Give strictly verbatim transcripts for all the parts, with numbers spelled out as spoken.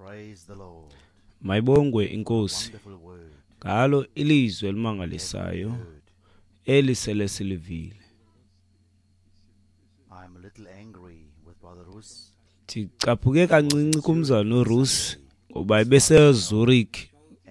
Praise the Lord. Mayibongwe inkosi Wonderful word. ngalo ilizwi elimangalisayo Heard. eli sele silivile. I'm a little angry with Brother Rus. Ndicaphuke kancinci kumzalwana uRusi ngoba ebeseZurich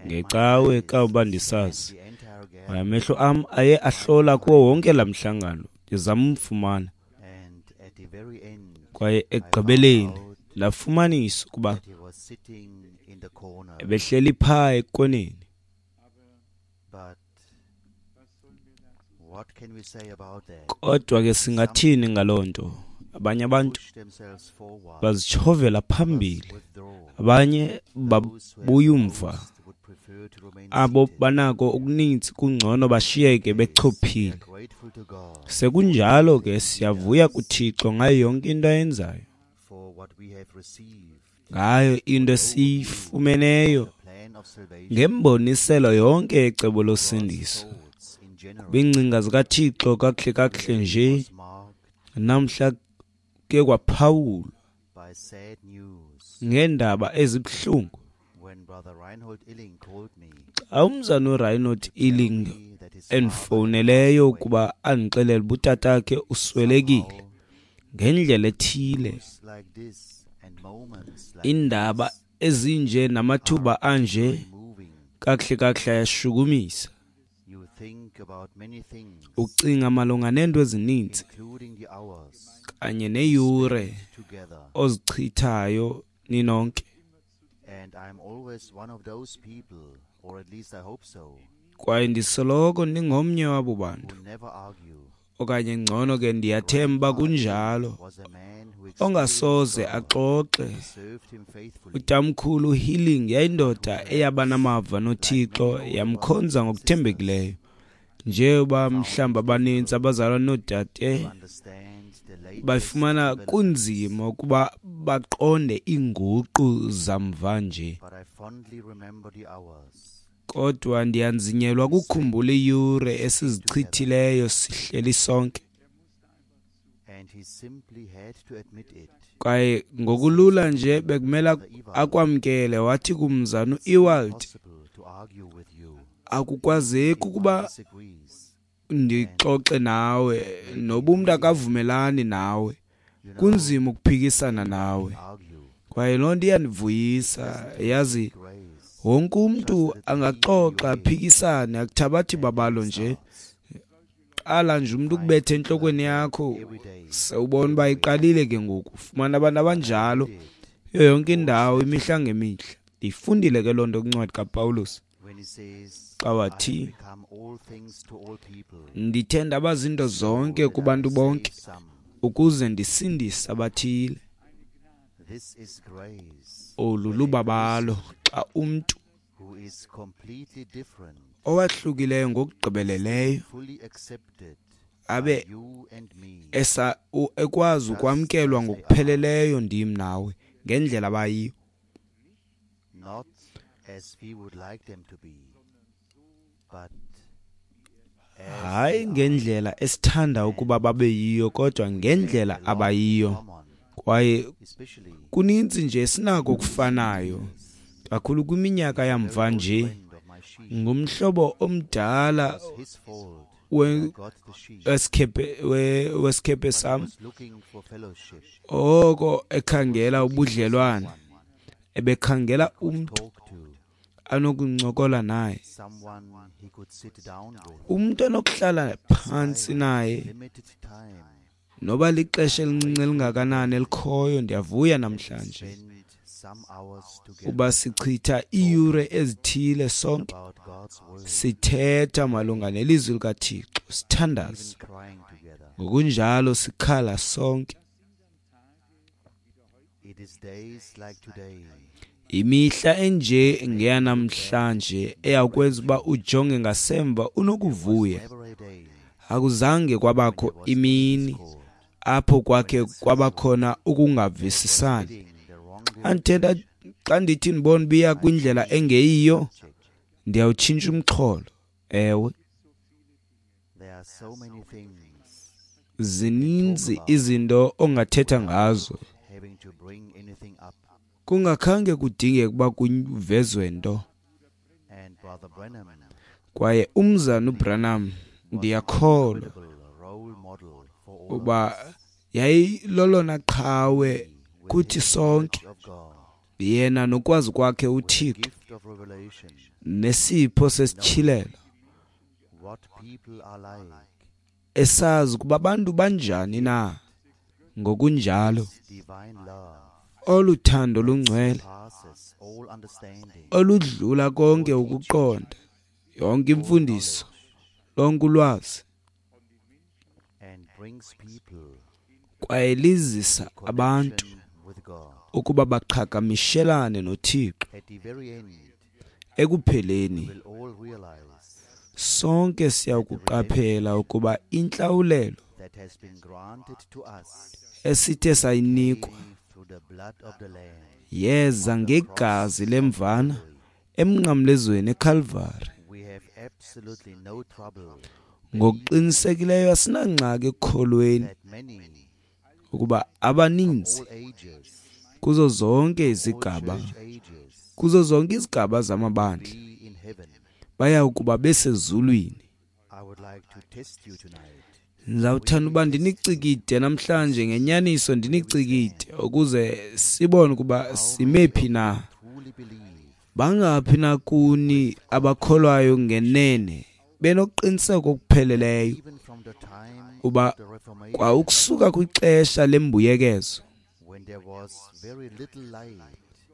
ngecawe kawuba ndisazi. The entire Kwaye gathering amehlo am aye ahlola kuwo wonke laa mhlangano ndizama umfumana. and at the very end Kwaye ekugqibeleni ndafumanisa ukuba that he was sitting in the corner. ebehleli phaa ekoneni. But what can we say about that? Kodwa ke singathini ngaloo nto? Abanye abantu Push themselves forward, bazitshovela phambili, withdraw. abanye Those who have babuya umva. most would prefer to remain Abo seated. banako okuninzi kungcono bashiyeke We bechophile. are grateful to God Sekunjalo ke siyavuya kuThixo ngayo yonke into ayenzayo, for what we have received. ngayo into esiyifumeneyo The plan of salvation, ngemboniselo yonke yecebo losindiso. thoughts in general, Kwiingcinga zikaThixo kakuhle kakuhle nje was marked namhla kuye kwaphawulwa by sad news ngeendaba ezibuhlungu. when Brother Reinhold Illing called me Xa umzana uReinhold Illing me that his father endifowuneleyo ukuba andixelele uba utatakhe uswelekile ngendlela ethile, news like this and moments like iindaba ezinje namathuba anje moving, kakuhle kakuhle ayashukumisa. you think about many things, Ucinga malunga neento ezininzi including the hours kanye neeyure together. ozichithayo ninonke. And I'm always one of those people, or at least I hope so, Kwaye ndisoloko ndingomnye wabo bantu, who never argue. okanye ngcono ke ndiyathemba kunjalo, Was a man who ongasoze experienced axoxe. God, served him faithfully, Utamkhulu Healing yayindoda eyaba namava noThixo, yamkhonza ngokuthembekileyo. Njengoba mhlawumbi abanintsi abazalwana noodade to understand the latest bafumana kunzima ukuba baqonde iinguqu zamva nje. but I fondly remember the hours Kodwa ndiyanzinyelwa kukhumbula iiyure esizichithileyo sihleli sonke. and he simply had to admit it. Kwaye ngokulula nje bekumele akwamkele, wathi kumzana uEwald, Possible to argue with you. akukwazeki ukuba Disagrees. ndixoxe nawe noba umntu akavumelani nawe, You know, kunzima ukuphikisana nawe. argue. Kwaye loo nto iyandivuyisa, yazi. Grace Wonke umntu angaxoxa aphikisane, akuthabathi babalo nje. Qala nje umntu ukubetha entlokweni yakho, every day. sewubona uba iqalile ke ngoku. Fumana abantu abanjalo kuyo yonke indawo imihla ngemihla. Ndiyifundile ke loo nto kwincwadi kaPawulos When he says, xa I have wathi, become all things to all people, ndithe ndaba zinto zonke that I kubantu may bonke save some. ukuze ndisindise abathile. This is grace, Olu lubabalo xa umntu who is completely different, owahlukileyo ngokugqibeleleyo fully accepted abe by you and me, esa u- ekwazi ukwamkelwa ngokupheleleyo ndim nawe ngendlela abayiyo, not as we would like them to be, but as hayi they are. ngendlela esithanda ukuba babe yiyo, kodwa ngendlela A lot in abayiyo. common, Kwaye especially kuninzi nje esinako okufanayo kakhulu kwiminyaka yamva nje. friend of my sheep. Ngumhlobo omdala It was his fault we- I got the sheep. wesikhephe we- wesikhephe sam, Was looking for fellowship, oko ekhangela ubudlelwane, ebekhangela umntu talk to, anokuncokola naye, someone he could sit down with. umntu anokuhlala phantsi naye Limited time noba lixesha elincinci elingakanani elikhoyo. Ndiyavuya namhlanje spend some hours together uba sichitha iiyure ezithile sonke about God's word, sithetha malunga nelizwi likaThixo, sithandaza even crying together. ngokunjalo sikhala sonke. It is days like today Imihla enje ngeyanamhlanje eyakwenza uba ujonge ngasemva unokuvuya. never a day Akuzange kwabakho imini apho kwakhe kwabakhona ukungavisisani. getting the wrong Xa ndithetha, xa ndithi ndibona uba iya kwindlela engeyiyo, ndiyawutshintsha umxholo. Ewe, There are so many things zininzi izinto ongathetha ngazo having to bring anything up. Kungakhange kudingeke ukuba kuvezwe nto. And Brother Branham Kwaye umzana uBranham, ndiyakholwa incredible role model for all of uba yayilolona qhawe us with kuthi his sonke, knowledge of God, yena nokwazi kwakhe with the uThixo gift of revelation, nesipho sesityhilelo, what people are like, esazi ukuba abantu banjani na. Ngokunjalo divine love olu thando lungcwele passes all understanding, oludlula konke ukuqonda, yonke imfundiso, lonke ulwazi, and brings people kwaye lizisa abantu connection with God. ukuba baqhagamishelane noThixo. At the very end, Ekupheleni we'll all realize sonke siyakuqaphela ukuba intlawulelo that has been granted to us esithe sayinikwa came through the blood of the Lamb. yeza ngegazi lemvana emnqamlezweni eKalvari. We have absolutely no trouble Ngokuqinisekileyo asinangxaki ekukholweni that many, ukuba abaninzi all ages, kuzo zonke all izigaba, church ages, kuzo zonke izigaba zamabandla be in heaven. baya kuba besezulwini. I would like to test you tonight. Ndizawuthanda uba ndinicikide namhlanje, ngenyaniso ndinicikide, ukuze sibone ukuba sime phi na. Truly believe Bangaphi na kuni abakholwayo ngenene benoqiniseko okupheleleyo even from the time uba of the Reformation, kwa ukusuka kwixesha lembuyekezo, when there was very little light,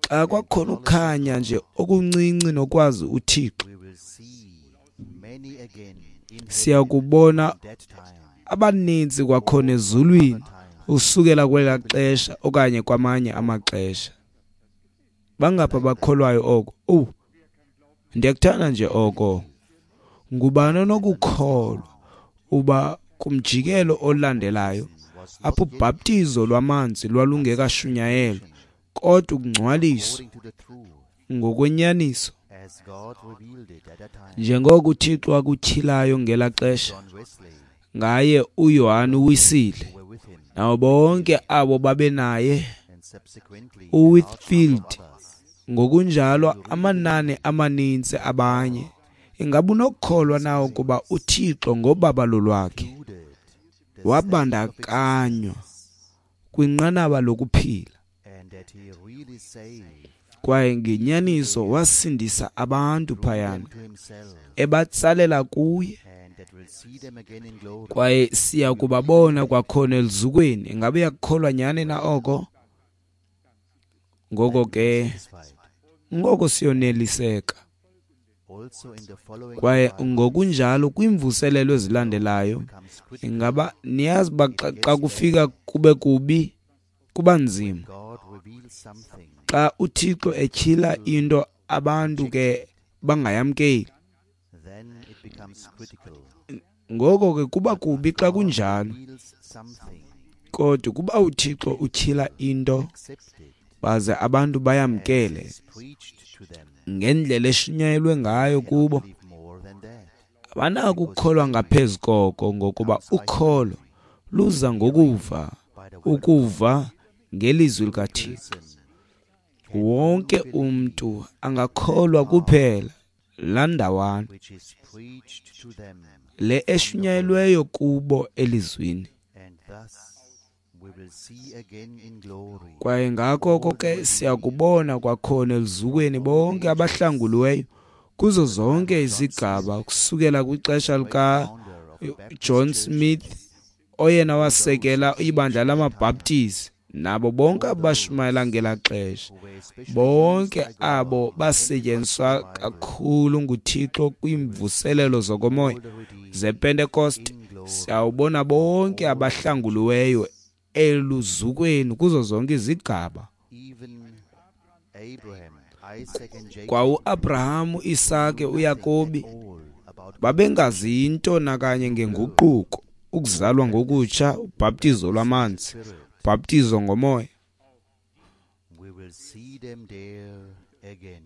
xa kwakhona ukukhanya nje okuncinci nokwazi uThixo, we will see many again in heaven siya kubona from that time, abaninzi kwakhona ezulwini time. usukela kwelaa xesha okanye kwamanye amaxesha. Bangaphi abakholwayo oko? Owu, ndiyakuthanda nje oko. Ngubani onokukholwa uba kumjikelo olandelayo Was apho not yet ubhaptizo lwamanzi lwalungekashunyayelwa, kodwa ukungcwaliswa according to the truth ngokwenyaniso as God revealed it at that time. njengoko uThixo wakutyhilayo ngelaa xesha John Wesley ngaye uYohane uWisile who were with him, nabo bonke abo babenaye, and subsequently a large number of uWhitfield, others. ngokunjalo amanani amaninzi abanye. Ingaba unokukholwa na ukuba uThixo ngobabalo lwakhe Included the state of wabandakanywa kwinqanaba lokuphila, and that he really saved kwaye ngenyaniso wasindisa abantu drew phayana them to himself, ebatsalela kuye, and that will see them again in glory. kwaye siya kubabona kwakhona eluzukweni? Ingabe uyakukholwa nyhani na oko? Ngoko ke Satisfied. ngoko siyoneliseka. Also in the following Kwaye revival ngokunjalo kwiimvuselelo ezilandelayo, becomes critical. ingaba niyazi uba xa, xa kufika kube kubi, kuba nzima. God reveals something, Xa uThixo etyhila into abantu ke bangayamkeli, then it becomes critical. ngoko ke kuba kubi xa God kunjalo. reveals something, Kodwa kuba uThixo utyhila into accept it baze abantu as bayamkele it is preached to them. ngendlela eshunyayelwe ngayo Cannot kubo, believe more than that. abanako ukukholwa ngaphezu koko, ngokuba ukholo luza ngokuva, By the word of ukuva ngelizwi likaThixo. person can Wonke only believe umntu angakholwa kuphela laa ndawana which is preached to them, le eshunyayelweyo kubo elizwini. and thus we will see again in glory Kwaye ngako oko ke siyakubona kwakhona eluzukweni bonke abahlanguliweyo kuzo zonke izigaba, kusukela kwixesha lika founder of the Baptist John Church, Smith oyena wasekela ibandla lamaBhaptizi, nabo bonke abashumayela ngelaa xesha, who were especially bonke used by God abo in the basetyenziswa Pentecost revival, kakhulu nguThixo kwiimvuselelo zokomoya all the redeemed zePentecost, in glory, siyawubona bonke abahlanguliweyo eluzukweni kuzo zonke izigaba. even Abraham, Isaac and Jacob Kwa uAbrahamu, Isake, knew nothing uYakobi at all about babengazi nto nakanye ngenguquko, ukuzalwa ngokutsha, ubhaptizo lwamanzi, Spirit. ubhaptizo ngomoya. We will see them there again.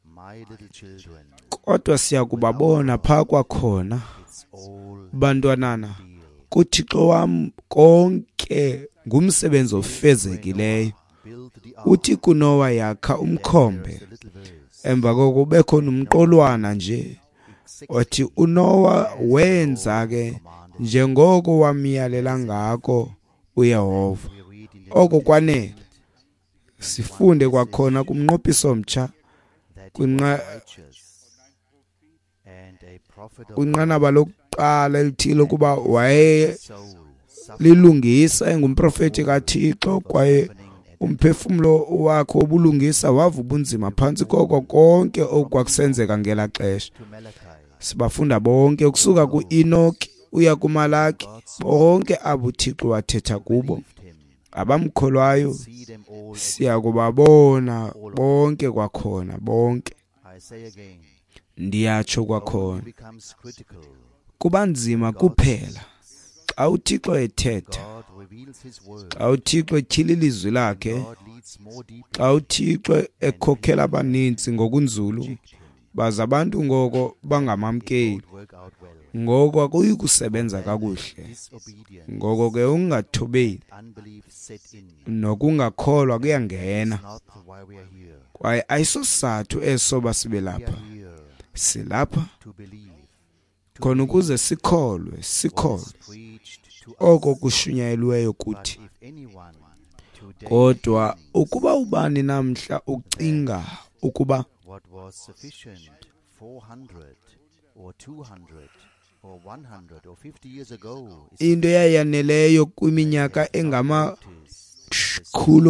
My little children, Kodwa siya kubabona phaa kwakhona, it's all bantwanana, deal. kuThixo wam konke ngumsebenzi ofezekileyo. Uthi kuNowa yakha umkhombe. Emva koko kubekho nomqolwana nje othi uNowa wenza ke njengoko wamyalela ngako uYehova. Oko kwanele. Sifunde kwakhona kumnqophiso omtsha kwinqanaba lokuqala elithile ukuba wayelilungisa engumprofeti kaThixo kwaye umphefumlo wakhe wobulungisa wava ubunzima phantsi koko konke okwakusenzeka ngelaa xesha. Sibafunda bonke ukusuka ku-Enoki uya kuMalaki, bonke abo uThixo wathetha kubo abamkholwayo siya kubabona bonke kwakhona bonke. Ndiyatsho kwakhona, kuba nzima kuphela xa uThixo ethetha, xa uThixo etyhila ilizwi lakhe, xa uThixo ekhokhela abaninzi ngokunzulu baze abantu ngoko bangamamkeli, ngoko akuyi kusebenza kakuhle. Ngoko ke ukungathobeli nokungakholwa kuyangena, kwaye ayisosizathu eso sibe lapha. Silapha khona ukuze sikholwe, sikholwe oko kushunyayelweyo kuthi. Kodwa ukuba ubani namhla ucinga ukuba into eyayaneleyo kwiminyaka engamakhulu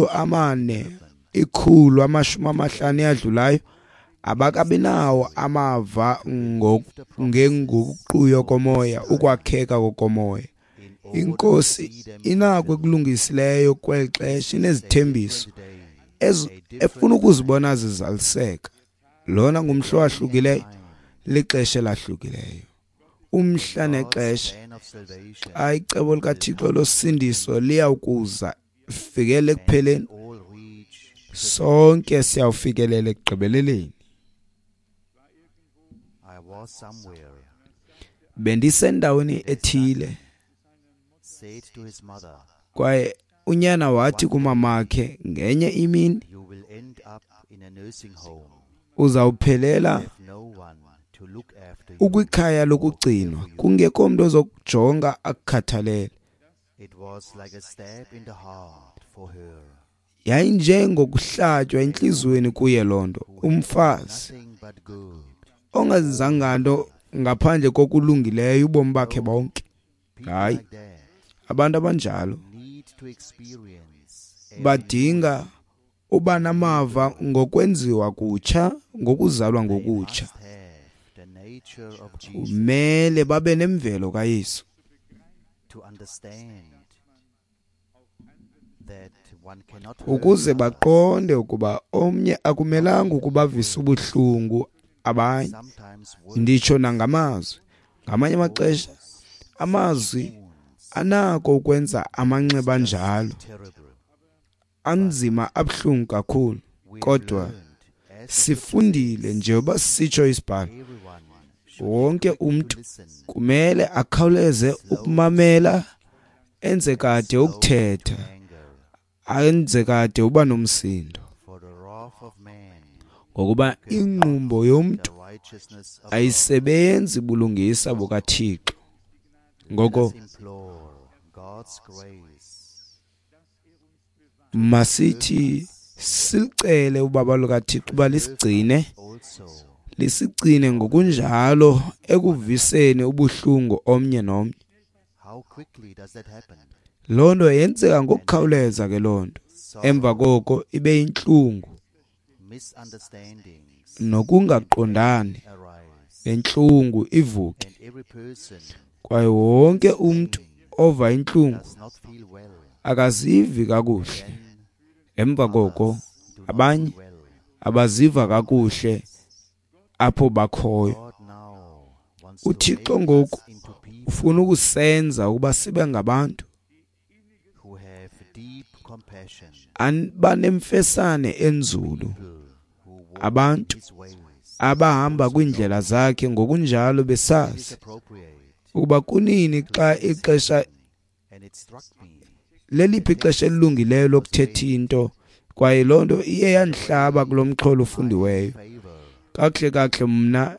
amane, ikhulu amashumi amahlanu eyadlulayo, abakabi nawo amava ngenguqu yokomoya, ukwakheka kokomoya. Inkosi inako ekulungisileyo kweli xesha, inezithembiso efuna ukuzibona zizaliseka. Lona ngumhla owahlukileyo, lixesha elahlukileyo, umhla nexesha xa icebo likaThixo losindiso liyawukuza lifikele ekupheleni, sonke siyawufikelela ekugqibeleleni. Bendisendaweni ethile kwaye unyana wathi kumamakhe ngenye imini, uzawuphelela ukwikhaya lokugcinwa kungekho mntu ozokujonga akukhathalele. Yayinjengokuhlatywa entliziyweni kuye loo nto. Umfazi ongazizanga nto ngaphandle kokulungileyo ubomi bakhe bonke. Hayi, abantu abanjalo badinga uba namava ngokwenziwa kutsha, ngokuzalwa ngokutsha. Kumele babe nemvelo kaYesu ukuze baqonde ukuba omnye akumelanga ukubavisa ubuhlungu abanye, nditsho nangamazwi. Ngamanye amaxesha amazwi anako ukwenza amanxeba anjalo anzima, abuhlungu kakhulu. Kodwa sifundile njengoba sisitsho isibhalo, wonke umntu kumele akhawuleze ukumamela, enze kade ukuthetha, enze kade uba nomsindo, ngokuba ingqumbo yomntu ayisebenzi bulungisa bukaThixo. Ngoko masithi sicele ubaba lukaThixo uba lisigcine, lisigcine ngokunjalo ekuviseni ubuhlungu omnye nomnye. Loo nto yenzeka ngokukhawuleza ke loo nto. Emva koko ibe yintlungu nokungaqondani, nentlungu ivuke. Kwaye wonke umntu ova intlungu akazivi kakuhle. Emva koko abanye abaziva kakuhle apho bakhoyo. UThixo ngoku ufuna ukusenza ukuba sibe ngabantu abanemfesane enzulu, abantu abahamba kwiindlela zakhe ngokunjalo besazi ukuba kunini xa ixesha leliphi ixesha elilungileyo lokuthetha into, Kwaye loo nto iye yandihlaba kulo mxholo ufundiweyo. Kakuhle kakuhle mna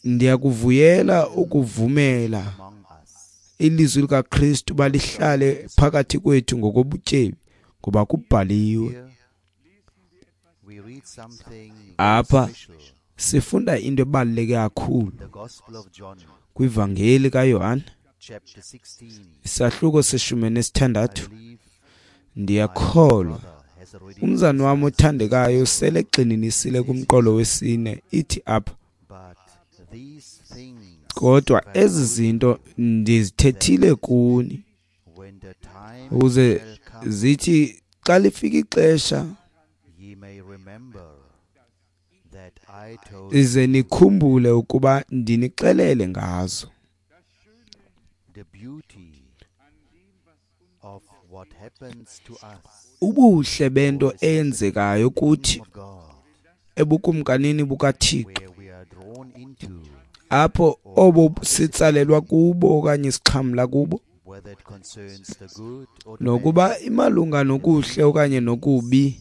ndiyakuvuyela ukuvumela ilizwi likaKristu balihlale phakathi kwethu ngokobutyebi, ngoba kubhaliwe. Apha sifunda into ebaluleke kakhulu kwivangeli kaYohane isahluko seshumi nesithandathu. Ndiyakholwa umzana wam othandekayo sele egxininisile kumqolo wesine, ithi apha: kodwa ezi zinto ndizithethile kuni ukuze zithi xa lifika ixesha ize nikhumbule ukuba ndinixelele ngazo. Ubuhle bento eyenzekayo kuthi ebukumkanini bukaThixo, apho obo sitsalelwa kubo okanye sixhamla kubo, nokuba imalunga nokuhle okanye nokubi,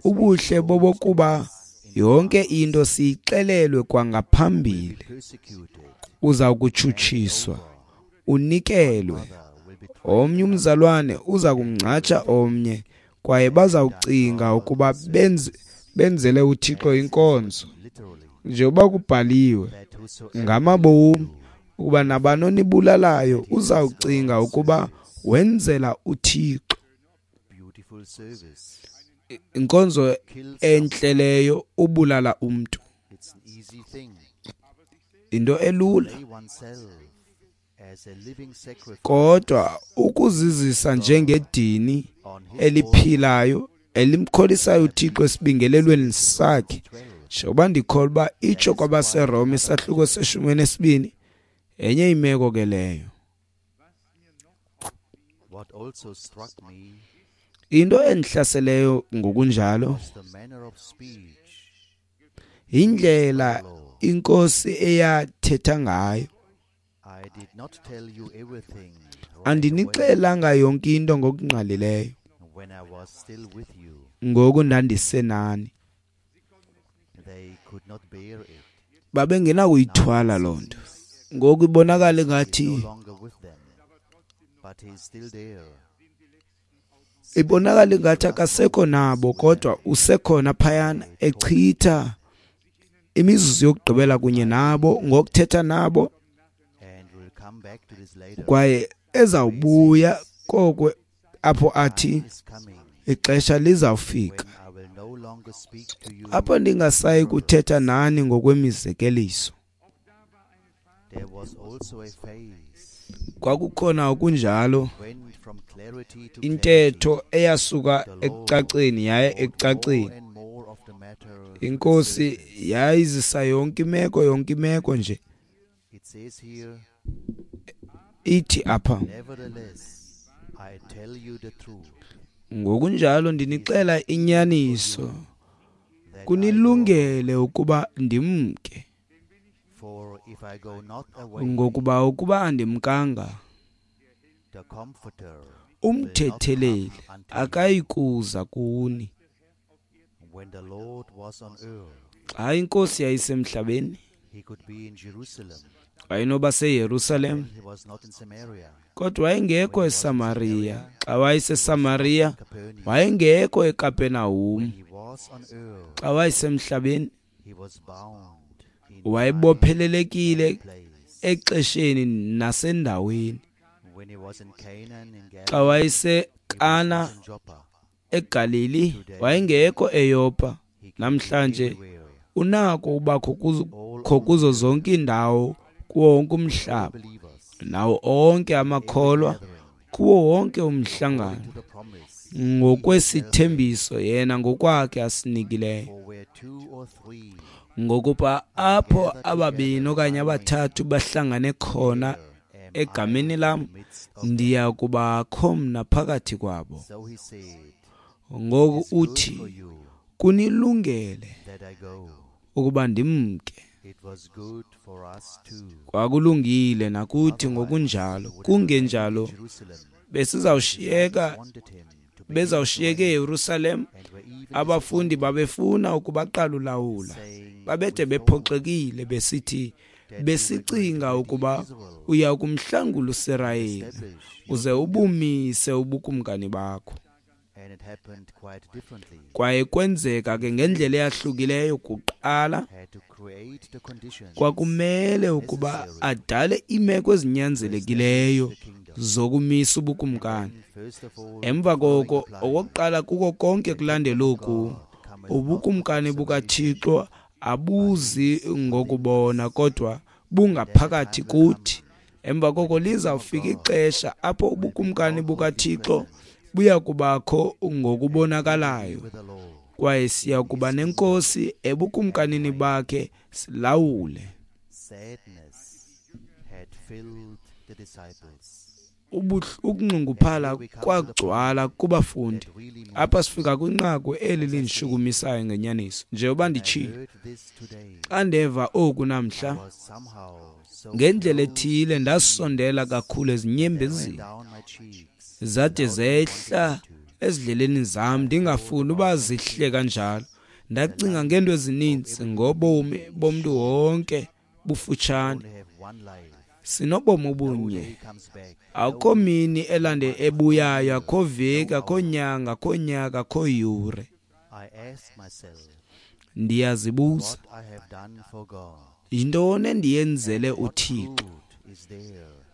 ubuhle bobokuba yonke into siyixelelwe kwangaphambili. Uza kutshutshiswa, unikelwe, omnye umzalwane uza kumngcatsha omnye, kwaye bazawucinga ukuba benze, benzele uThixo inkonzo. Njengoba kubhaliwe ngamabomi ukuba nabani onibulalayo uzawucinga ukuba wenzela uThixo. Inkonzo entle leyo, ubulala umntu, into elula. Kodwa ukuzizisa njengedini eliphilayo elimkholisayo uThixo esibingelelweni sakhe, njengoba ndikholwa uba itsho kwabaseRoma isahluko seshumi nesibini, enye imeko ke leyo. Into endihlaseleyo ngokunjalo yindlela inkosi eyathetha ngayo. Andinixelanga yonke into ngokungqalileyo ngoku ndandisenani. Babengenakuyithwala loo nto. Ngoku ibonakala ngathi ibonakala ngathi akasekho nabo, kodwa usekhona phayana echitha imizuzu yokugqibela kunye nabo ngokuthetha nabo, kwaye ezawubuya koko apho athi ixesha lizawufika apho ndingasayi kuthetha nani ngokwemizekeliso. Kwakukhona okunjalo intetho eyasuka ekucaceni yaye ekucaceni. Inkosi yayizisa yonke imeko, yonke imeko nje. Ithi apha: ngokunjalo ndinixela inyaniso, kunilungele ukuba ndimke, ngokuba ukuba andimkanga, umthetheleli akayikuza kuni. Xa inkosi yayisemhlabeni, wayenoba seYerusalem, kodwa wayengekho eSamariya. Xa wayeseSamariya, wayengekho eKapenahum. Xa wayesemhlabeni, wayebophelelekile exesheni nasendaweni. Xa wayeseKana eGalili, wayengekho eYopa. Namhlanje unako ubakho kuzo zonke iindawo, kuwo wonke umhlaba, nawo onke amakholwa, kuwo wonke umhlangano, ngokwesithembiso yena ngokwakhe asinikileyo. Ngokuba apho ababini okanye abathathu bahlangane khona egameni lam, ndiya kubakho mna phakathi kwabo. Ngoku uthi kunilungele ukuba ndimke. Kwakulungile nakuthi ngokunjalo, kungenjalo Besizawushiyeka bezawushiyeka eYerusalem. Abafundi babefuna ukubaqala ulawula, babede bephoxekile besithi besicinga ukuba uya kumhlangula uSirayeli uze ubumise ubukumkani bakho. Kwaye kwenzeka ke ngendlela eyahlukileyo. Kuqala kwakumele ukuba adale iimeko ezinyanzelekileyo zokumisa ubukumkani. Emva koko, okokuqala kuko konke kulandela oku, ubukumkani bukaThixo abuzi ngokubona kodwa bungaphakathi kuthi. Emva koko lizawufika ixesha apho ubukumkani bukaThixo buya kubakho ngokubonakalayo, kwaye siya kuba nenkosi ebukumkanini bakhe silawule. Ukunxunguphala kwagcwala kubafundi. Apha sifika kwinqaku eli lindishukumisayo ngenyaniso. Njengoba nditshilo, xa ndeva oku namhla, ngendlela ethile ndasondela kakhulu ezinyembezini, zade zehla ezidleleni zam, ndingafuni uba zihle kanjalo. Ndacinga ngeento ezininzi ngobomi bomntu wonke bufutshane. Sinobomi obunye. Akukho mini elande ebuyayo, akukho veki, akukho nyanga, akukho nyaka, akukho yure. Ndiyazibuza, yintoni endiyenzele uThixo?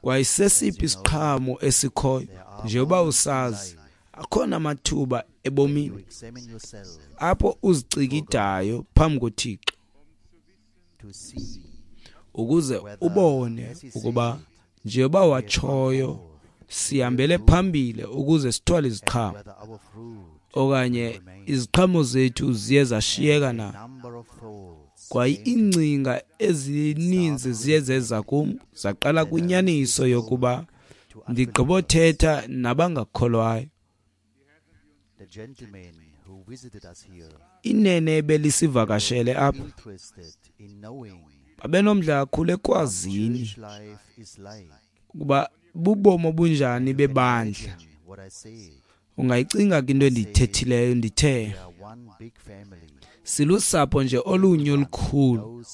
Kwaye sesiphi isiqhamo esikhoyo? Njengoba usazi, akhona amathuba ebomini apho uzicikidayo phambi koThixo ukuze ubone ukuba njengoba watshoyo sihambele phambili ukuze sithwale iziqhamo, okanye iziqhamo zethu ziye zashiyeka na. Kwaye iingcinga ezininzi ziye zeza kum, zaqala kwinyaniso yokuba ndigqibothetha nabangakholwayo. Inene belisivakashele apha babenomdla kakhulu ekwazini ukuba bubomi obunjani bebandla. Ungayicinga ke into endiyithethileyo. Ndithe silusapho nje olunye olukhulu.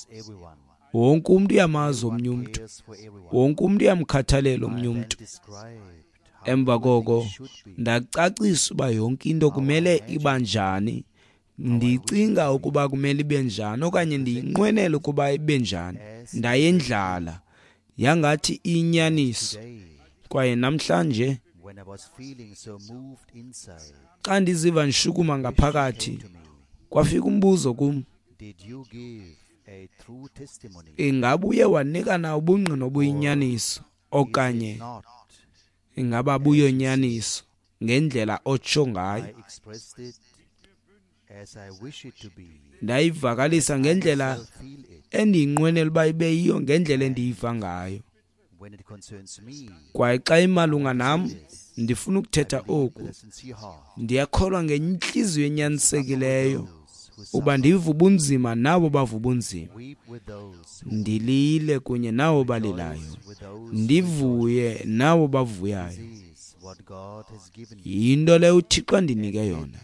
Wonke umntu uyamazi omnye umntu, wonke umntu uyamkhathalela omnye umntu. Emva koko ndacacisa uba yonke into kumele iba njani, ndicinga ukuba kumele ibe njani, okanye ndiyinqwenela ukuba ibe njani. Ndayendlala yangathi iyinyaniso. Kwaye namhlanje xa ndiziva ndishukuma ngaphakathi, kwafika umbuzo kum: ingaba uye wanika na ubungqina obuyinyaniso, okanye ingaba buyonyaniso ngendlela otsho ngayo? Ndayivakalisa ngendlela endiyinqwenela uba ibe yiyo, ngendlela endiyiva ngayo. Kwaye xa imalunga nam, ndifuna ukuthetha oku. Ndiyakholwa ngentliziyo enyanisekileyo uba ndiva ubunzima nabo bava ubunzima, ndilile kunye nabo balilayo, ndivuye nabo bavuyayo. Yinto leyo uThixo andinike yona.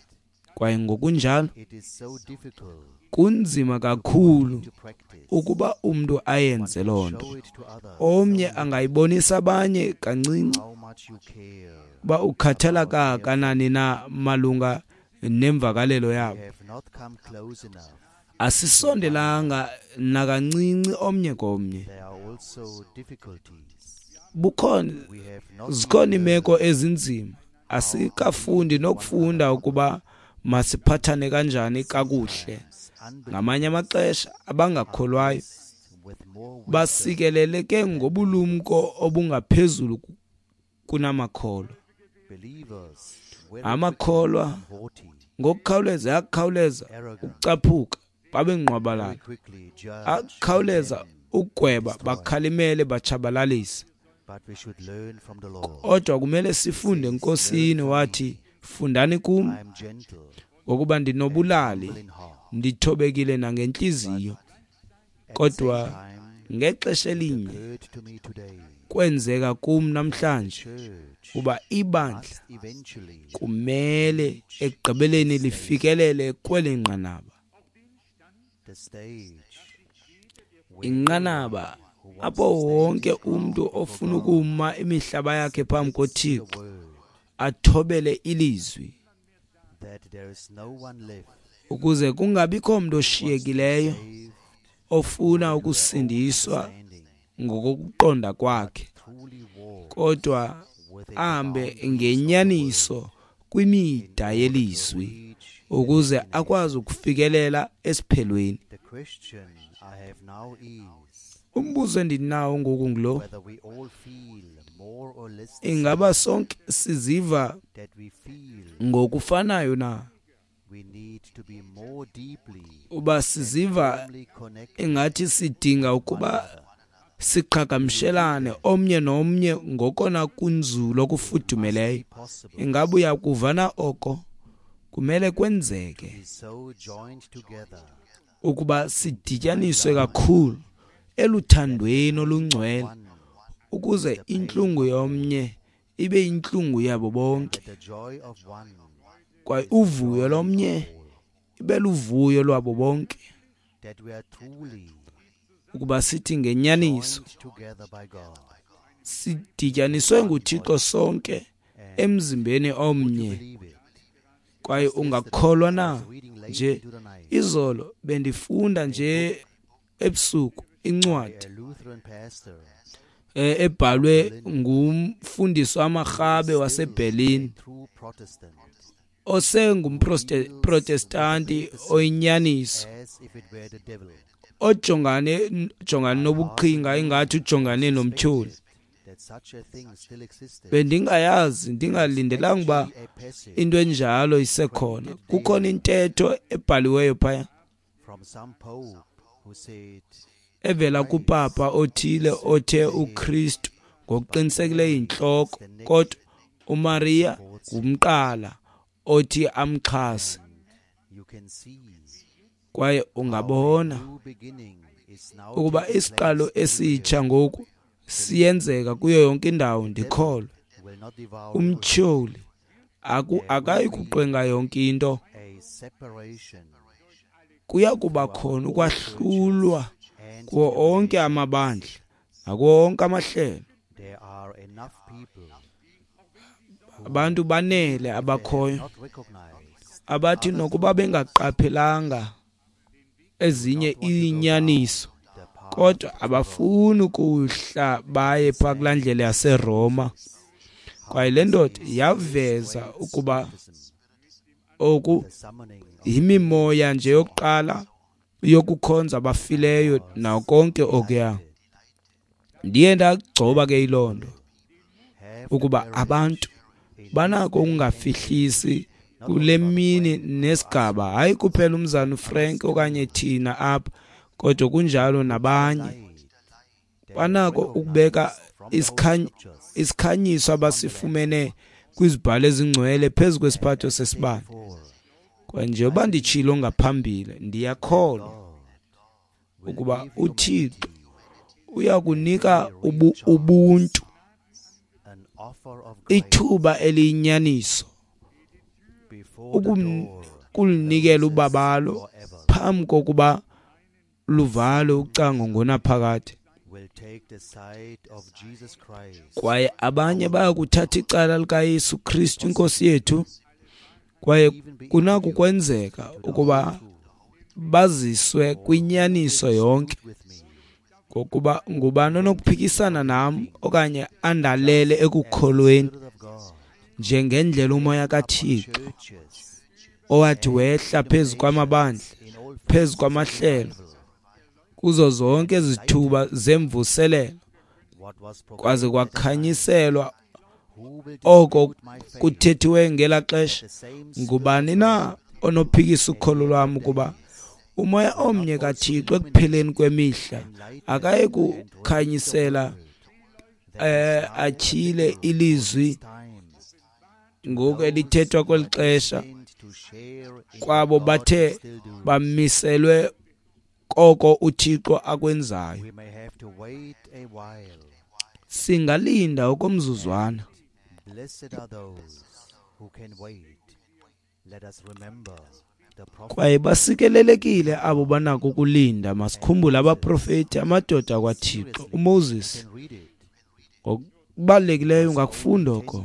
Kwaye ngokunjalo kunzima kakhulu ukuba umntu ayenze loo nto. Omnye angayibonisa abanye kancinci uba ukhathala kangakanani na malunga nemvakalelo yabo. Asisondelanga nakancinci omnye komnye. Bukhona zikhona iimeko ezinzima. Asikafundi nokufunda ukuba masiphathane kanjani kakuhle. Ngamanye amaxesha abangakholwayo basikeleleke ngobulumko obungaphezulu kunamakholwa. Amakholwa ngokukhawuleza akukhawuleza ukucaphuka babe ngqwabalala, akukhawuleza ukugweba bakhalimele batshabalalise. Kodwa kumele sifunde eNkosini. Wathi, fundani kum, ngokuba ndinobulali, ndithobekile nangentliziyo. Kodwa ngexesha elinye kwenzeka kum namhlanje, kuba ibandla kumele ekugqibeleni lifikelele kweli nqanaba, inqanaba apho wonke umntu ofuna ukuma imihlaba yakhe phambi koThixo athobele ilizwi, ukuze kungabikho mntu oshiyekileyo ofuna ukusindiswa ngokokuqonda kwakhe, kodwa ahambe ngenyaniso kwimida yelizwi ukuze akwazi ukufikelela esiphelweni. Umbuzo endinawo ngoku ngulo: ingaba sonke siziva ngokufanayo na? Uba siziva ingathi sidinga ukuba siqhagamshelane omnye nomnye ngokona kunzulu okufudumeleyo, ingaba uyakuvana oko? Kumele kwenzeke ukuba sidityaniswe kakhulu eluthandweni olungcwele, ukuze intlungu yomnye ibe intlungu yabo bonke, kwaye uvuyo lomnye ibe luvuyo lwabo bonke, ukuba sithi ngenyaniso sidityaniswe nguThixo sonke emzimbeni omnye. Kwaye ungakholwa na? Nje izolo bendifunda nje ebusuku incwadi ebhalwe ngumfundisi wamaRhabe waseBerlin, osengumProtestanti oyinyaniso, ojongane jongane nobuqhinga ingathi ujongane nomtyholi. Bendingayazi, ndingalindelanga uba into enjalo isekhona. Kukhona intetho ebhaliweyo phaya evela kupapa othile othe uKristu ngokuqinisekileyo yintloko, kodwa uMaria ngumqala othi amxhase. Kwaye ungabona ukuba isiqalo esitsha ngoku siyenzeka kuyo yonke indawo. Ndikholwa umtyholi akayi kuqwenga yonke into. Kuya kuba khona ukwahlulwa kuwo onke amabandla nakuwo onke amahlelo. Abantu banele abakhoyo abathi nokuba bengaqaphelanga ezinye iinyaniso, kodwa abafuni ukuhla baye phaa kulaa ndlela yaseRoma. Kwaye le ndoda yaveza ukuba oku yimimoya nje yokuqala yokukhonza abafileyo nawo konke okuya. Ndiye ndagcoba ke yiloo nto, ukuba abantu banako ukungafihlisi kule mini nesigaba, hayi kuphela umzana uFrank okanye thina apha, kodwa kunjalo nabanye banako ukubeka isikhanyiso abasifumene kwizibhalo ezingcwele phezu kwesiphatho sesibane. Kwaye njengoba nditshilo ngaphambili, ndiyakholwa ukuba uThixo uyakunika ubu, ubuntu ithuba eliyinyaniso ukulinikela ubabalo phambi kokuba luvalwe ucango ngonaphakade. Kwaye abanye bayakuthatha icala likaYesu Kristu inkosi yethu, kwaye kunako kwenzeka ukuba baziswe kwinyaniso yonke, ngokuba ngubani onokuphikisana nam okanye andalele ekukholweni njengendlela umoya kaThixo owathi wehla phezu kwamabandla, phezu kwamahlelo, kuzo zonke izithuba zemvuselelo, kwaze kwakhanyiselwa oko kuthethiwe ngela xesha. Ngubani na onophikisa ukholo lwam ukuba umoya omnye kaThixo ekupheleni kwemihla akayi kukhanyisela eh atyhile ilizwi ngoku elithethwa kweli xesha kwabo bathe bamiselwe koko uThixo akwenzayo. Singalinda okomzuzwana. Kwaye basikelelekile abo banako ukulinda. Masikhumbule abaprofeti, amadoda kwaThixo, uMoses. Ngokubalulekileyo ungakufunda oko.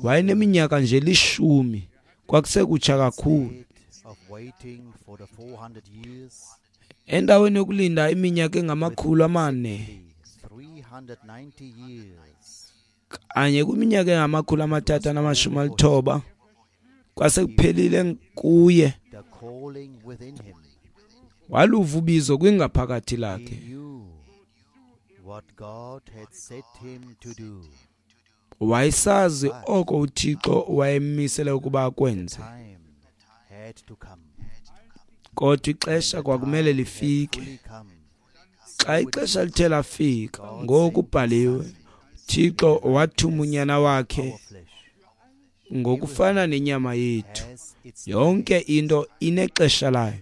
Wayeneminyaka nje lishumi, kwakusekutsha kakhulu. Endaweni yokulinda iminyaka engamakhulu amane, kanye kwiminyaka engamakhulu amathathu anamashumi alithoba, kwasekuphelile kuye. Waluva ubizo kwingaphakathi lakhe. Wayesazi oko uThixo wayemmisele ukuba akwenze, kodwa ixesha kwakumele lifike. Xa ixesha lithe lafika, ngoku kubhaliwe, Thixo wathuma unyana wakhe ngokufana nenyama yethu. Yonke into inexesha layo.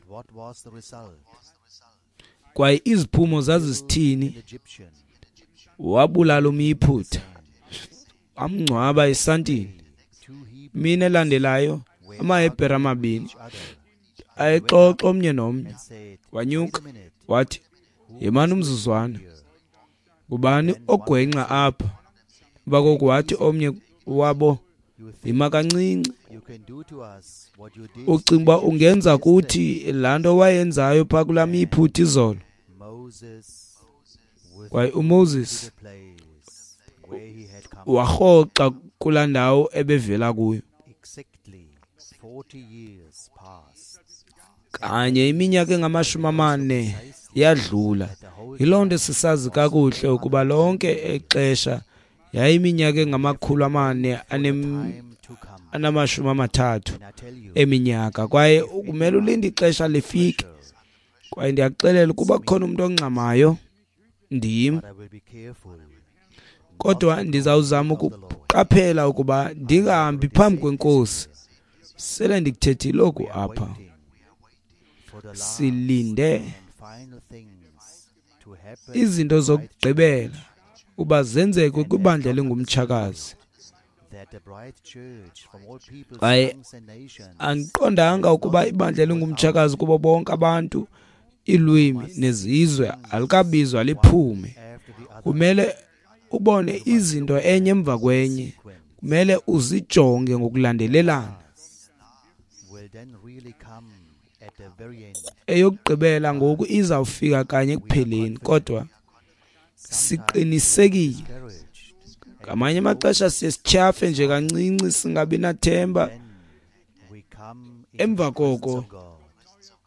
Kwaye iziphumo zazisithini? Wabulala umYiphutha, wamngcwaba esantini. Mini elandelayo, amaHebhere amabini ayexoxa omnye nomnye. Wanyuka wathi, yimani umzuzwana, ngubani ogwenxa apha? Emva koko wathi omnye wabo, yima kancinci, ucinga uba ungenza kuthi laa nto wayenzayo phaa kulaa miyiphutha izolo? Kwaye uMoses warhoxa kulaa ndawo ebevela kuyo. Kanye iminyaka engamashumi amane yadlula. Yiloo nto sisazi kakuhle ukuba lonke ixesha yayiminyaka engamakhulu amane anamashumi amathathu eminyaka. Kwaye kumele ulinde ixesha lifike. Kwaye ndiyakuxelela ukuba kukhona umntu ongxamayo, ndim. Kodwa ndizawuzama ukuqaphela ukuba ndingahambi phambi kweNkosi. Sele ndikuthethile oku apha. Silinde izinto zokugqibela uba zenzeke kwibandla elingumtshakazi. Kwaye andiqondanga ukuba ibandla elingumtshakazi kubo bonke abantu, iilwimi nezizwe alikabizwa liphume. Kumele ubone izinto enye emva kwenye. Kumele uzijonge ngokulandelelana. Eyokugqibela ngoku izawufika kanye ekupheleni, kodwa siqinisekile. Ngamanye amaxesha siye sityhafe nje kancinci, singabi nathemba. Emva koko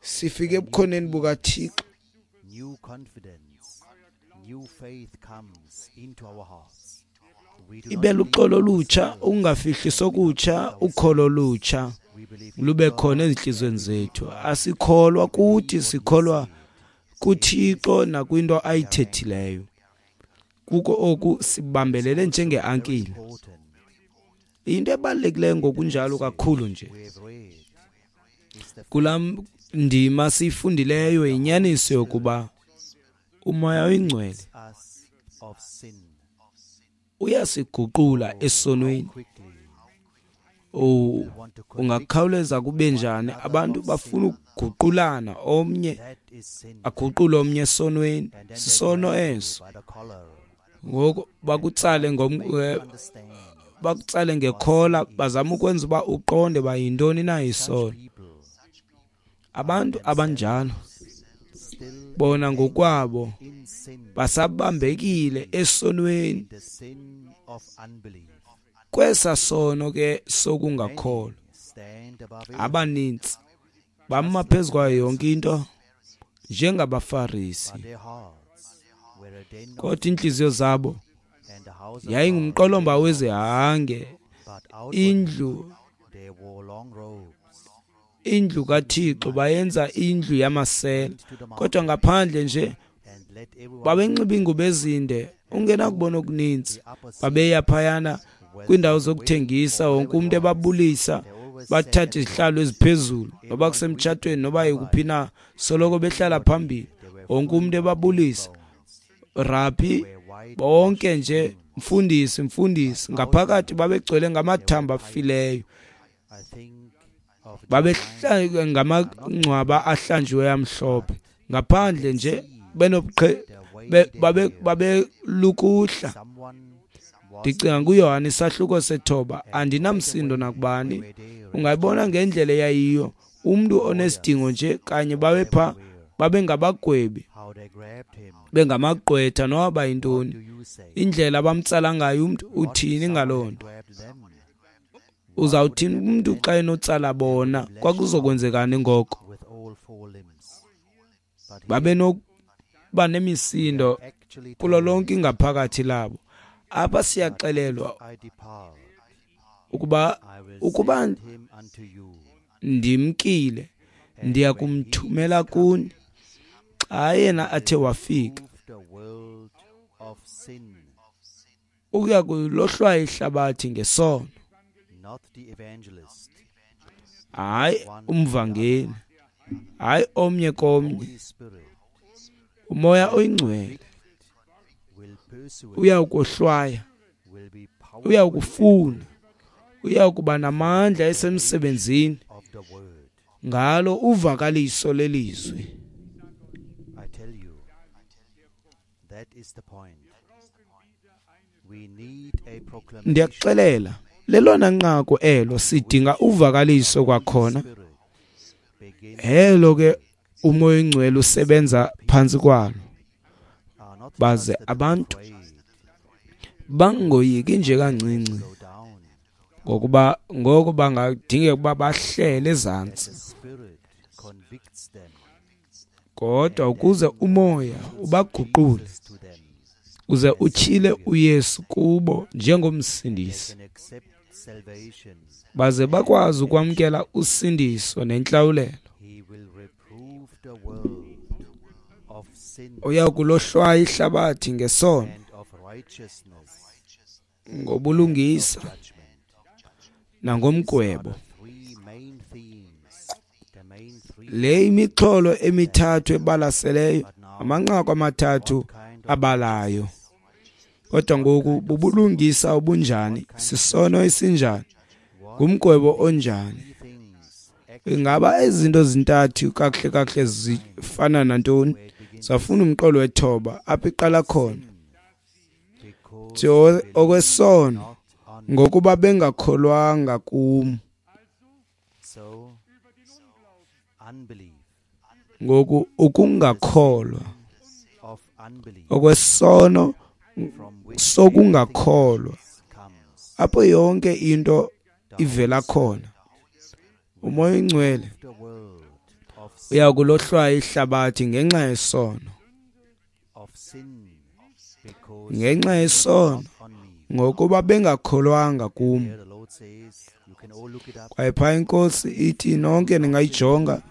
sifike ebukhoneni bukaThixo. Ibe luxolo olutsha, ukungafihli okutsha, ukholo olutsha lube khona ezintliziyweni zethu. Asikholwa kuthi, sikholwa kuThixo nakwinto ayithethileyo. Kuko oku sibambelele njengeankile. Into ebalulekileyo ngokunjalo kakhulu nje kulaa ndima siyifundileyo yinyaniso yokuba uMoya oyiNgcwele uyasiguqula esonweni. Oh, ungakhawuleza kube njani? Abantu bafuna ukuguqulana, omnye aguqule omnye esonweni. Sisono eso. Ngoku bakutsale ngom bakutsale ngekhola, bazama ukwenza uba uqonde uba yintoni na isono. Abantu abanjalo bona ngokwabo basabambekile esonweni, kwesa sono ke sokungakholwa. Abanintsi bama phezu kwayo yonke into njengabaFarisi, kodwa iintliziyo zabo yayingumqolomba wezihange. Indlu indlu kaThixo bayenza indlu yamasela, kodwa ngaphandle nje babenxiba iingubo ezinde, ungenakubona okuninzi. Babeya phayana kwiindawo zokuthengisa, wonke umntu ebabulisa, bathatha izihlalo eziphezulu, noba kusemtshatweni noba yikuphi na, soloko behlala phambili, wonke umntu ebabulisa. Rabhi, Bonke nje mfundisi mfundisi, ngaphakathi babegcwele ngamathambo afileyo, babehlala ngamangcwaba ahlanjiweyo amhlophe, ngaphandle nje benobuqhe babe babelukuhla. Ndicinga kuYohane isahluko sethoba, andinamsindo nakubani. Ungayibona ngendlela eyayiyo, umntu onesidingo nje kanye babepha babengabagwebi, bengamagqwetha noba yintoni. Indlela abamtsala ngayo umntu, uthini ngaloo nto? Uzawuthini umntu xa enotsala bona? Kwakuzokwenzekani ngoko? Babenokuba nemisindo kulo lonke ingaphakathi labo. Apha siyaxelelwa ukuba ukuba ndimkile ndiya kumthumela kuni xa yena athe wafika ukuya kulohlwaya ihlabathi ngesono. Hayi umvangeli, hayi omnye komnye. Umoya oyingcwele uyawukohlwaya, uyawukufuna, uyakuba namandla esemsebenzini ngalo uvakaliso lelizwi. Ndiyakuxelela, lelona nqaku elo, sidinga uvakaliso kwakhona. Elo ke umoya oyingcwele usebenza phantsi kwalo, baze abantu bangoyiki nje kancinci, ngokuba ngoko bangadingeka ukuba bahlele ezantsi, kodwa ukuze umoya ubaguqule uze utyhile uYesu kubo njengomsindisi, baze bakwazi ukwamkela usindiso nentlawulelo. Uya kulohlwaya ihlabathi ngesono, ngobulungisa nangomgwebo. Le imixholo emithathu ebalaseleyo, amanqaku amathathu abalayo. Kodwa ngoku bubulungisa obunjani? Sisono esinjani? Ngumgwebo onjani? Ingaba izinto zintathu kakuhle kakuhle zifana nantoni? Safuna umqolo wethoba apho iqala khona. Okwesono, ngokuba bengakholwanga kum. Ngoku ukungakholwa, okwesono sokungakholwa, apho yonke into ivela khona. Umoya oyingcwele uyakulohlwaya ihlabathi ngenxa yesono, ngenxa yesono, ngokuba bengakholwanga kum. Kwaye phaa iNkosi ithi nonke ningayijonga,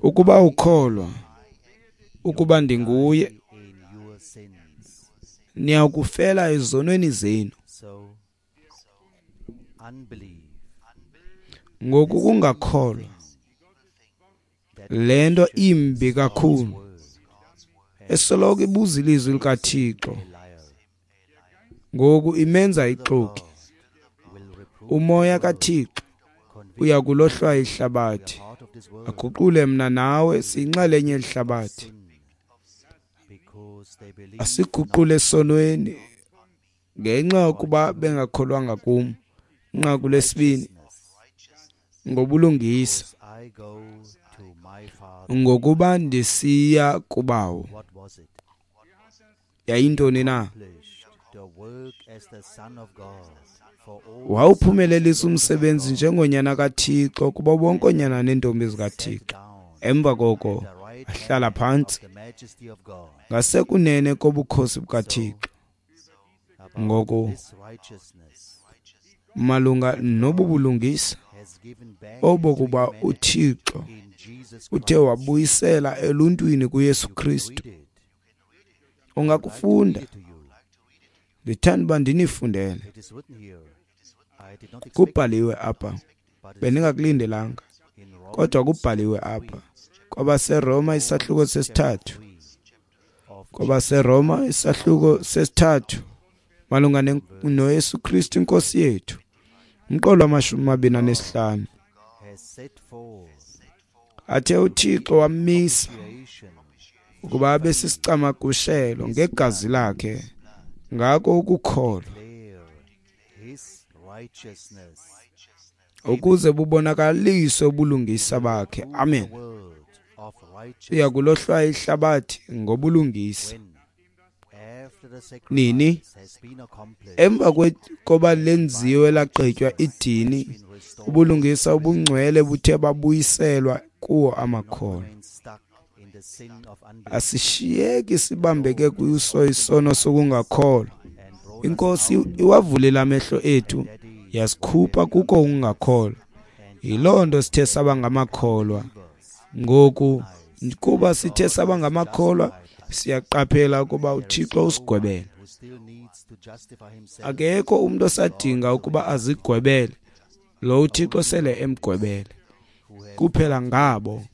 ukuba ukholwa ukuba ndinguye, niyakufela ezonweni zenu. Ngoku kungakholwa, le nto imbi kakhulu esoloko ibuza ilizwi likaThixo, ngoku imenza ixoki. Umoya kaThixo uyakulohlwaya ihlabathi, aguqule mna nawe siyinxalenye yehlabathi, asiguqule esonweni ngenxa yokuba bengakholwanga kum. Inqaku lesibini, ngobulungisa, ngokuba ndisiya kubawo. Yayintoni na? Wawuphumelelisa umsebenzi njengonyana kaThixo kubo bonke oonyana neentombi zikaThixo. Emva koko ahlala phantsi ngasekunene kobukhosi bukaThixo. Ngoku malunga nobu bulungisa obokuba uThixo uthe wabuyisela eluntwini kuYesu Kristu. Ungakufunda, ndithanda uba ndinifundele. Kubhaliwe apha, bendingakulindelanga, kodwa kubhaliwe apha kwabaseRoma isahluko sesithathu, KwabaseRoma isahluko sesithathu malunga noYesu Kristu inkosi yethu, umqolo wamashumi amabini anesihlanu. Athe uThixo wamisa ukuba abe sisicamagushelo ngegazi lakhe, ngako ukukholwa, ukuze bubonakaliswe ubulungisa bakhe. Amen. Uya kulohlwaya ihlabathi ngobulungisa. Nini? Emva koba lenziwe lagqitywa idini, ubulungisa obungcwele buthe babuyiselwa kuwo amakholwa. Asishiyeki sibambeke kuso isono sokungakholwa. Inkosi iwavulile amehlo ethu, yasikhupha kuko ukungakholwa. Yiloo nto sithe saba ngamakholwa. Ngoku kuba sithe saba ngamakholwa, siyaqaphela ukuba uThixo usigwebele. Akekho umuntu osadinga ukuba azigwebele, lo uThixo sele emgwebele. Kuphela ngabo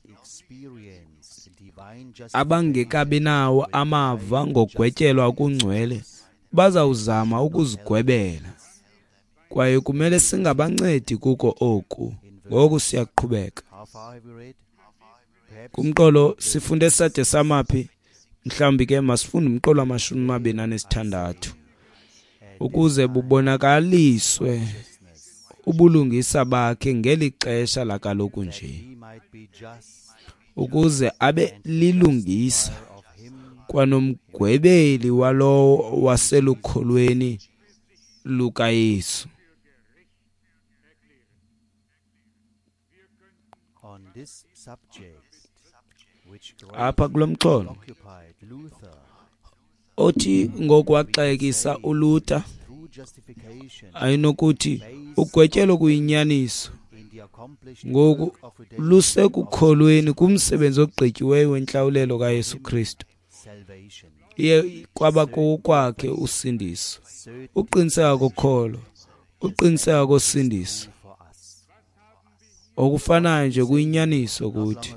abangekabi nawo amava ngogwetyelwa okungcwele bazawuzama ukuzigwebela, kwaye kumele singabancedi kuko oku. Ngoku siyaqhubeka kumqolo. Sifunde sade samaphi? Mhlawumbi ke masifunde umqolo wamashumi amabini anesithandathu, ukuze bubonakaliswe ubulungisa bakhe ngeli xesha lakaloku nje, ukuze abe lilungisa kwanomgwebeli walowo waselukholweni lukaYesu. Apha kulo mxholo othi ngokwaxekisa uLuther ayinokuthi ugwetyelo kuyinyaniso ngoku lusekukholweni kumsebenzi ogqityiweyo wentlawulelo kaYesu Kristu. Iye kwaba kokwakhe usindiso, uqiniseka kokholo, uqiniseka kosindiso. Okufanayo nje kuyinyaniso kuthi.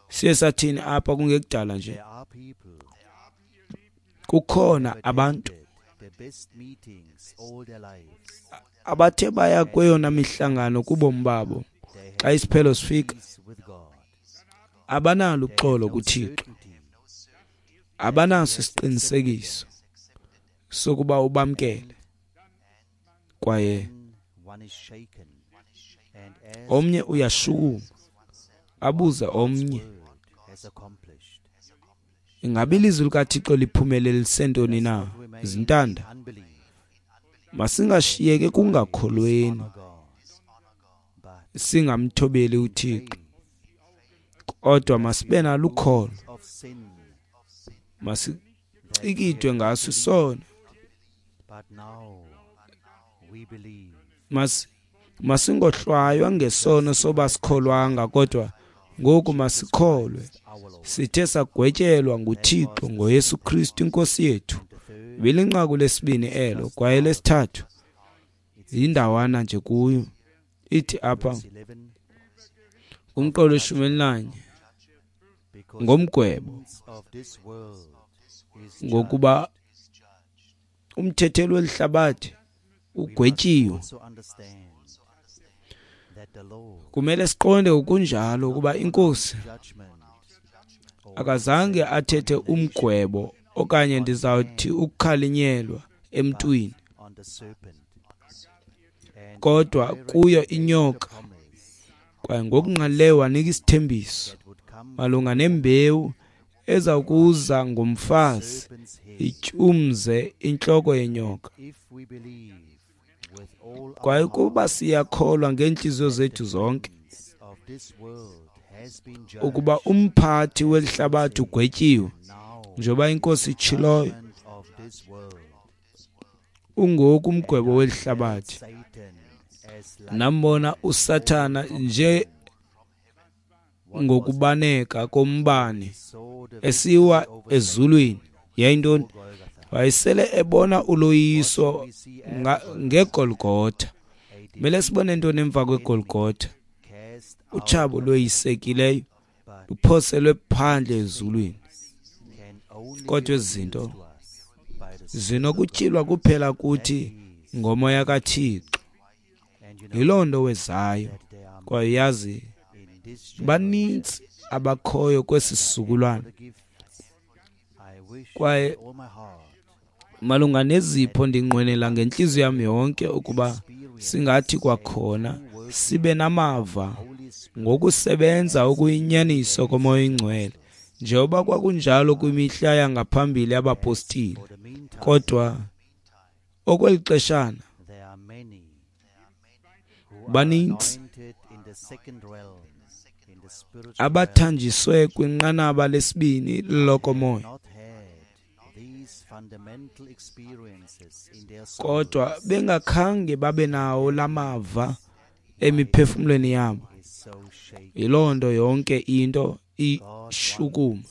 Siye sathini apha kungekudala nje? Kukhona abantu abathe baya kweyona mihlangano kubomi babo, xa isiphelo sifika abanalo uxolo kuThixo, abanaso isiqinisekiso sokuba ubamkele, kwaye omnye uyashukuma abuze omnye, ingabe ilizwi likaThixo liphumelelise ntoni na? Zintanda, masingashiyeki kungakholweni, singamthobeli uThixo, kodwa masibe nalo ukholo, masicikidwe ngaso isono, mas masingohlwaywa ngesono soba sikholwanga, kodwa ngoku masikholwe. Sithe sagwetyelwa nguThixo ngoYesu Kristu inkosi yethu. Bilinqaku lesibini elo, kwaye lesithathu yindawana nje kuyo. Ithi apha kumqolo weshumi elinanye ngomgwebo, ngokuba umthetheli welihlabathi ugwetyiwe. Kumele siqonde ukunjalo ukuba inkosi akazange athethe umgwebo okanye ndizawuthi ukukhalinyelwa emntwini, kodwa kuyo inyoka, kwaye ngokungqalileyo wanika isithembiso malunga nembewu eza kuza ngomfazi ityumze intloko yenyoka. Kwaye ukuba siyakholwa ngeentliziyo zethu zonke ukuba umphathi welihlabathi ugwetyiwe, njengoba inkosi itshiloyo, ungoku umgwebo welihlabathi. Nambona uSathana nje ngokubaneka kombane esiwa ezulwini. Yayintoni? Wayesele ebona uloyiso ngeGolgotha. Mele sibone ntoni emva kweGolgotha? Utshabo loyisekileyo luphoselwe phandle ezulwini. Kodwa ezi zinto zinokutyhilwa kuphela kuthi ngoMoya kaThixo. Yiloo nto wezayo. Kwaye yazi, banintsi abakhoyo kwesi sizukulwana. Kwaye malunga nezipho ndinqwenela ngentliziyo yam yonke ukuba singathi kwakhona sibe namava ngokusebenza okuyinyaniso koMoya oyiNgcwele, njengoba kwakunjalo kwimihla yangaphambili yabapostile. Kodwa okweli xeshana banintsi abathanjiswe kwinqanaba lesibini lokomoya, kodwa bengakhange babe nawo lamava emiphefumlweni yabo. Yiloo nto yonke into ishukuma.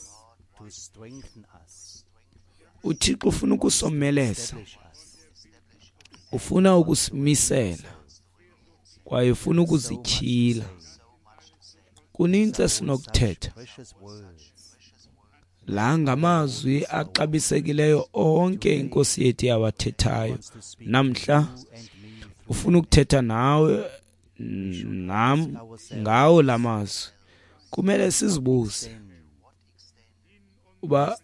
UThixo ufuna ukusomeleza, ufuna ukusimisela, kwaye ufuna ukuzityhila. Kunintsi esinokuthetha. La ngamazwi axabisekileyo onke iNkosi yethu yawathethayo. Namhla ufuna ukuthetha nawe nam ngawo la mazwi. Kumele sizibuze uba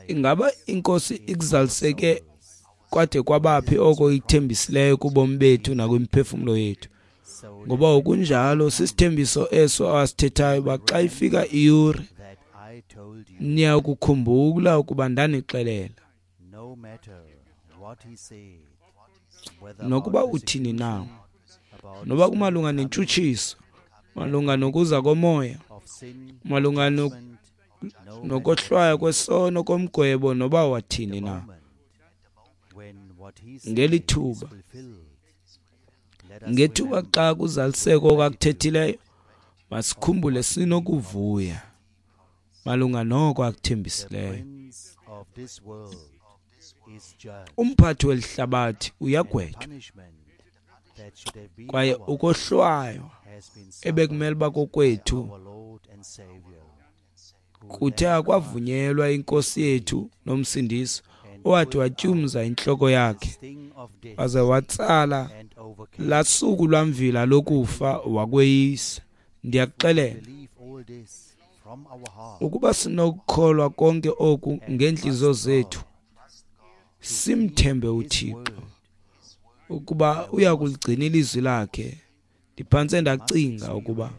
ingaba iNkosi ikuzaliseke kwade kwabaphi oko ikuthembisileyo kubomi bethu nakwimiphefumlo yethu. Ngoba okunjalo sisithembiso eso awasithethayo uba xa ifika iyure niya kukhumbula ukuba ndanixelela. Nokuba uthini na, noba kumalunga nentshutshiso, malunga nokuza komoya, malunga nokohlwaya kwesono komgwebo, noba wathini na, ngeli thuba, ngethuba xa kuzaliseka okakuthethileyo, masikhumbule sinokuvuya malunga noko akuthembisileyo. Umphathi weli hlabathi uyagwetywa, kwaye ukohlwaywa ebekumele uba kokwethu kuthe akwavunyelwa iNkosi yethu noMsindisi, owathi watyumza intloko yakhe waze watsala laa suku lwamvila lokufa wakweyisa. Ndiyakuxelela, ukuba sinokukholwa konke oku ngeentliziyo zethu, simthembe uThixo ukuba uyakuligcina ilizwi lakhe, ndiphantse ndacinga ukuba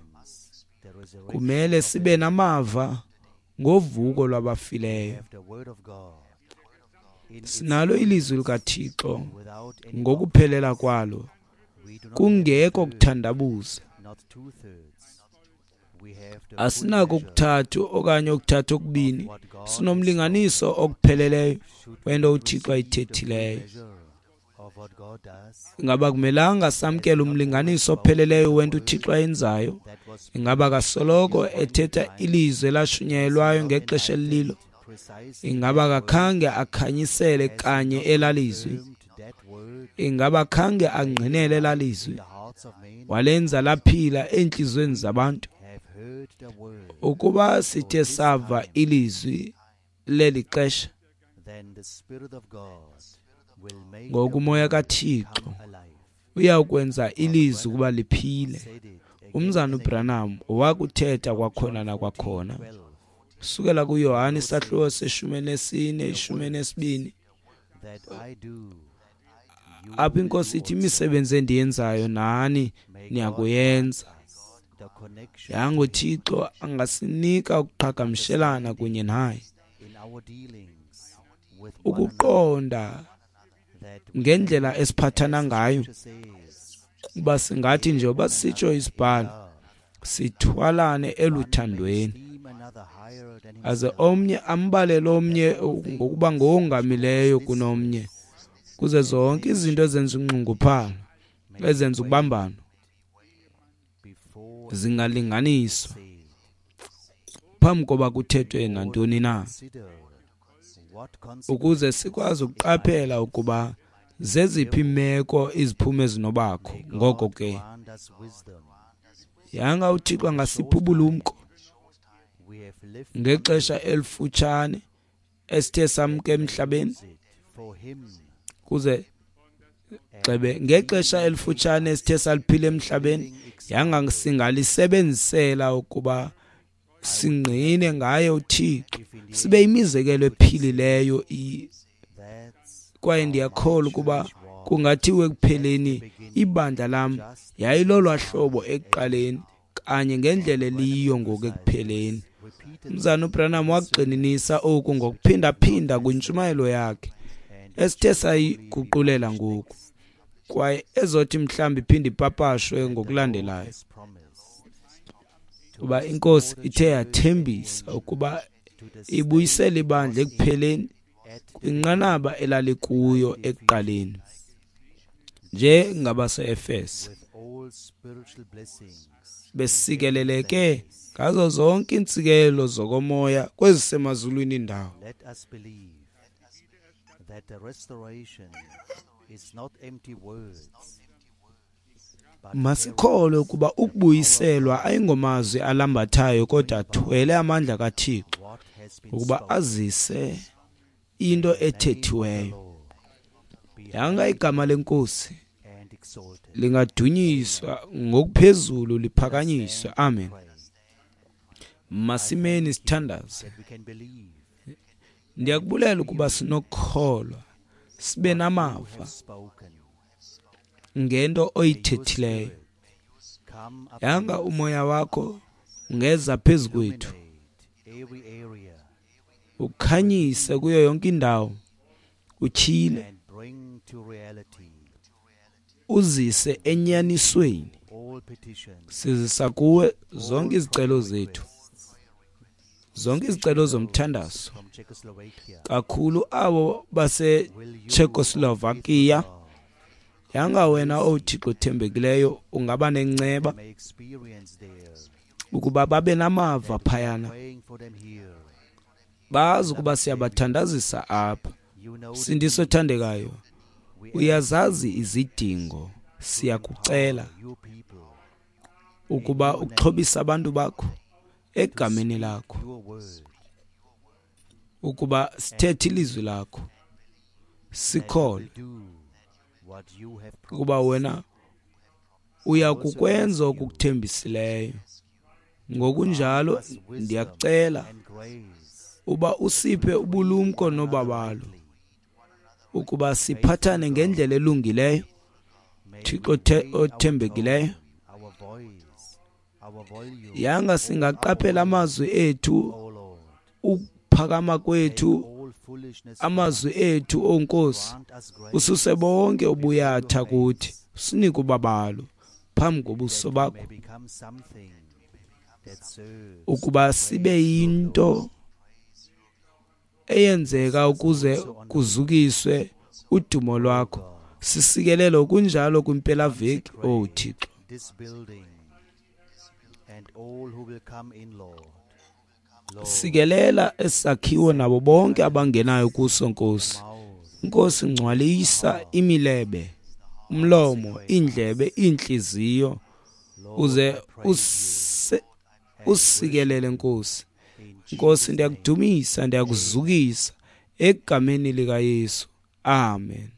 kumele sibe namava ngovuko lwabafileyo. Sinalo ilizwi likaThixo ngokuphelela kwalo, kungekho kuthandabuza. Asinako okuthathu okanye okuthathu okubini, sinomlinganiso okupheleleyo wento uThixo ayithethileyo. Ingaba kumelanga samkele umlinganiso opheleleyo wento uThixo ayenzayo? Ingaba kasoloko ethetha ilizwi elashunyayelwayo ngexesha elililo? Ingaba kakhange akhanyisele kanye elalizwi? Ingaba khange angqinele elalizwi? Walenza laphila entliziyweni zabantu? Ukuba sithe sava ilizwi leli xesha, ngoku uMoya kaThixo uyakwenza ilizwi ukuba liphile. Umzana uBranham wakuthetha kwakhona nakwakhona, sukela kuYohane isahluko seshumi nesine, ishumi nesibini, apho iNkosi ithi imisebenzi endiyenzayo nani niyakuyenza. Yanga uThixo angasinika ukuqhagamshelana kunye naye, ukuqonda ngendlela esiphathana ngayo, uba singathi nje uba sitsho isibhalo sithwalane eluthandweni, aze omnye ambalele omnye ngokuba ngowongamileyo kunomnye, kuze zonke izinto ezenza unxunguphalo, ezenza ukubambana, zingalinganiswa phambi koba kuthethwe nantoni na, ukuze sikwazi ukuqaphela ukuba zeziphi imeko iziphumo ezinobakho. Ngoko ke yanga uThixo angasipha ubulumko Ngexesha elifutshane esithe samke emhlabeni, kuze gxebe ngexesha elifutshane esithe saliphila emhlabeni, yanga singalisebenzisela ukuba singqine ngaye uThixo, sibe imizekelo ephilileyo. Kwaye ndiyakholwa ukuba kungathiwa ekupheleni ibandla lam yayilolwa hlobo ekuqaleni, kanye ngendlela eliyiyo ngoku ekupheleni. Umzana uBranham wagxininisa oku ngokuphindaphinda kwintshumayelo yakhe esithe sayiguqulela ngoku, kwaye ezothi mhlawumbi iphinde ipapashwe ngokulandelayo, kuba iNkosi ithe yathembisa ukuba ibuyisele ibandla ekupheleni kwinqanaba elalikuyo ekuqaleni, njengabase-Efese besikeleleke ngazo zonke iintsikelelo zokomoya kwezisemazulwini indawo. Masikholwe ukuba ukubuyiselwa ayingomazwi alambathayo, kodwa athwele amandla kaThixo ukuba azise into ethethiweyo. Yanga igama leNkosi lingadunyiswa ngokuphezulu, liphakanyiswe. Amen. Masimeni sithandaze. Ndiyakubulela ukuba sinokukholwa, sibe namava ngento oyithethileyo. Yanga umoya wakho ungeza phezu kwethu, ukhanyise kuyo yonke indawo, utyhile, uzise enyanisweni. Sizisa kuwe zonke izicelo zethu, zonke izicelo zomthandazo, kakhulu abo baseCzechoslovakia. Yanga wena, O Thixo othembekileyo, ungaba nenceba ukuba babe namava phayana, bazi ukuba siyabathandazisa apha. Sindiso othandekayo, uyazazi izidingo. Siyakucela ukuba uxhobise abantu bakho egameni lakho, ukuba sithethe ilizwi lakho, sikholwe ukuba wena uya kukwenza okukuthembisileyo. Ngokunjalo ndiyakucela uba usiphe ubulumko nobabalo, ukuba siphathane ngendlela elungileyo, Thixo othembekileyo. Yanga singaqaphela amazwi ethu, ukuphakama kwethu, amazwi ethu, O Nkosi, ususe bonke ubuyatha kuthi, usinike ubabalo phambi kobuso bakho, ukuba sibe yinto eyenzeka ukuze kuzukiswe udumo lwakho. Sisikelele kunjalo kwimpelaveki, O Thixo. Sikelela esakhiwo nabo bonke abangenayo kuso, Nkosi. Nkosi, ngcwalisa imilebe, umlomo, iindlebe, iintliziyo, uze usikelele, Nkosi. Nkosi, ndiyakudumisa, ndiyakuzukisa egameni likaYesu. Amen.